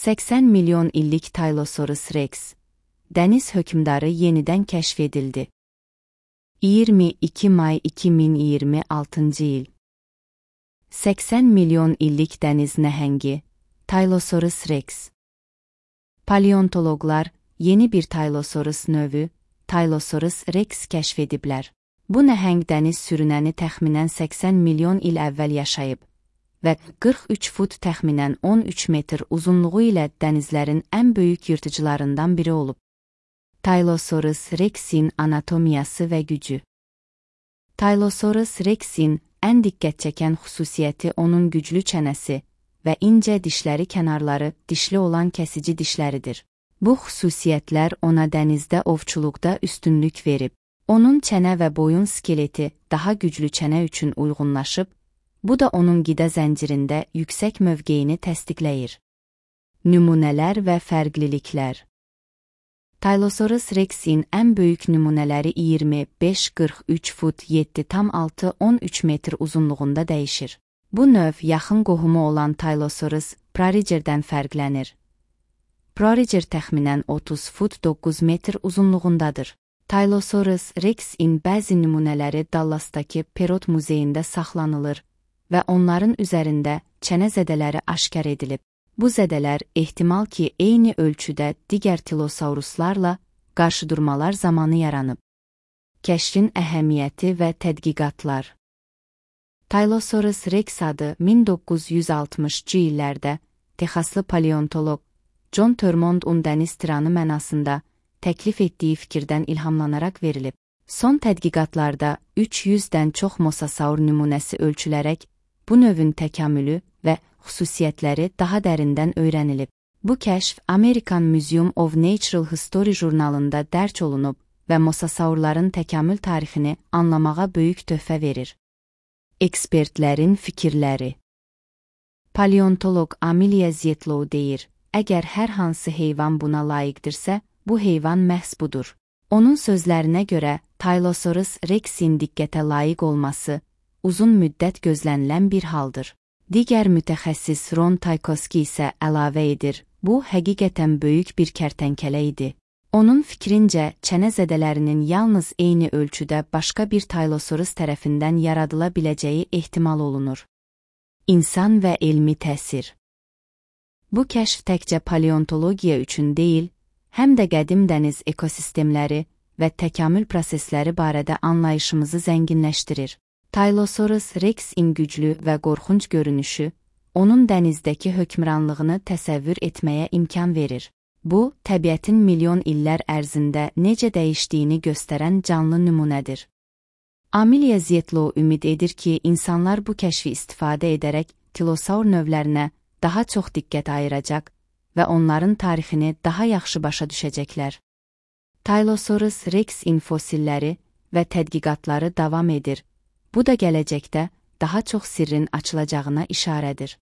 80 milyon illik Tylosaurus rex, dəniz hökmdarı yenidən kəşf edildi. 22 may 2026 il. 80 milyon illik dəniz nəhəngi, Tylosaurus rex. Paleontoloqlar yeni bir Tylosaurus növü, Tylosaurus rex kəşf ediblər. Bu nəhəng dəniz sürünəni təxminən 80 milyon il əvvəl yaşayıb və 43 fut təxminən 13 metr uzunluğu ilə dənizlərin ən böyük yırtıcılarından biri olub. Tylosaurus rex'in anatomiyası və gücü. Tylosaurus rex'in ən diqqət çəkən xüsusiyyəti onun güclü çənəsi və incə dişləri kənarları dişli olan kəsici dişləridir. Bu xüsusiyyətlər ona dənizdə ovçuluqda üstünlük verib. Onun çənə və boyun skeleti daha güclü çənə üçün uyğunlaşıb, bu da onun qida zəncirində yüksək mövqeyini təsdiqləyir. Nümunələr və fərqliliklər. Tylosaurus rex'in ən böyük nümunələri 25-43 fut 7,6-13 metr uzunluğunda dəyişir. Bu növ yaxın qohumu olan Tylosaurus prorigerdən fərqlənir. Proriger təxminən 30 fut 9 metr uzunluğundadır. Tylosaurus rex'in bəzi nümunələri Dallasdakı Perot muzeyində saxlanılır və onların üzərində çənə zədələri aşkar edilib. Bu zədələr ehtimal ki, eyni ölçüdə digər tilosauruslarla qarşıdurmalar zamanı yaranıb. Kəşfin əhəmiyyəti və tədqiqatlar. Tylosaurus rex adı 1960-cı illərdə Texaslı paleontoloq John Thurmondun dəniz tiranı mənasında təklif etdiyi fikirdən ilhamlanaraq verilib. Son tədqiqatlarda 300-dən çox mosasaur nümunəsi ölçülərək bu növün təkamülü və xüsusiyyətləri daha dərindən öyrənilib. Bu kəşf American Museum of Natural History jurnalında dərc olunub və mosasaurların təkamül tarixini anlamağa böyük töhfə verir. Ekspertlərin fikirləri. Paleontoloq Amelia Zietlow deyir, əgər hər hansı heyvan buna layiqdirsə, bu heyvan məhz budur. Onun sözlərinə görə Tylosaurus rex'in diqqətə layiq olması uzun müddət gözlənilən bir haldır. Digər mütəxəssis Ron Tykowski isə əlavə edir, bu həqiqətən böyük bir kərtənkələ idi. Onun fikrincə, çənə zədələrinin yalnız eyni ölçüdə başqa bir Tylosaurus tərəfindən yaradıla biləcəyi ehtimal olunur. İnsan və elmi təsir. Bu kəşf təkcə paleontologiya üçün deyil, həm də qədim dəniz ekosistemləri və təkamül prosesləri barədə anlayışımızı zənginləşdirir. Tylosaurus rex'in güclü və qorxunc görünüşü, onun dənizdəki hökmranlığını təsəvvür etməyə imkan verir. Bu, təbiətin milyon illər ərzində necə dəyişdiyini göstərən canlı nümunədir. Amelia Zietlow ümid edir ki, insanlar bu kəşfi istifadə edərək tilosaur növlərinə daha çox diqqət ayıracaq və onların tarixini daha yaxşı başa düşəcəklər. Tylosaurus rex'in fosilləri və tədqiqatları davam edir. Bu da gələcəkdə daha çox sirrin açılacağına işarədir.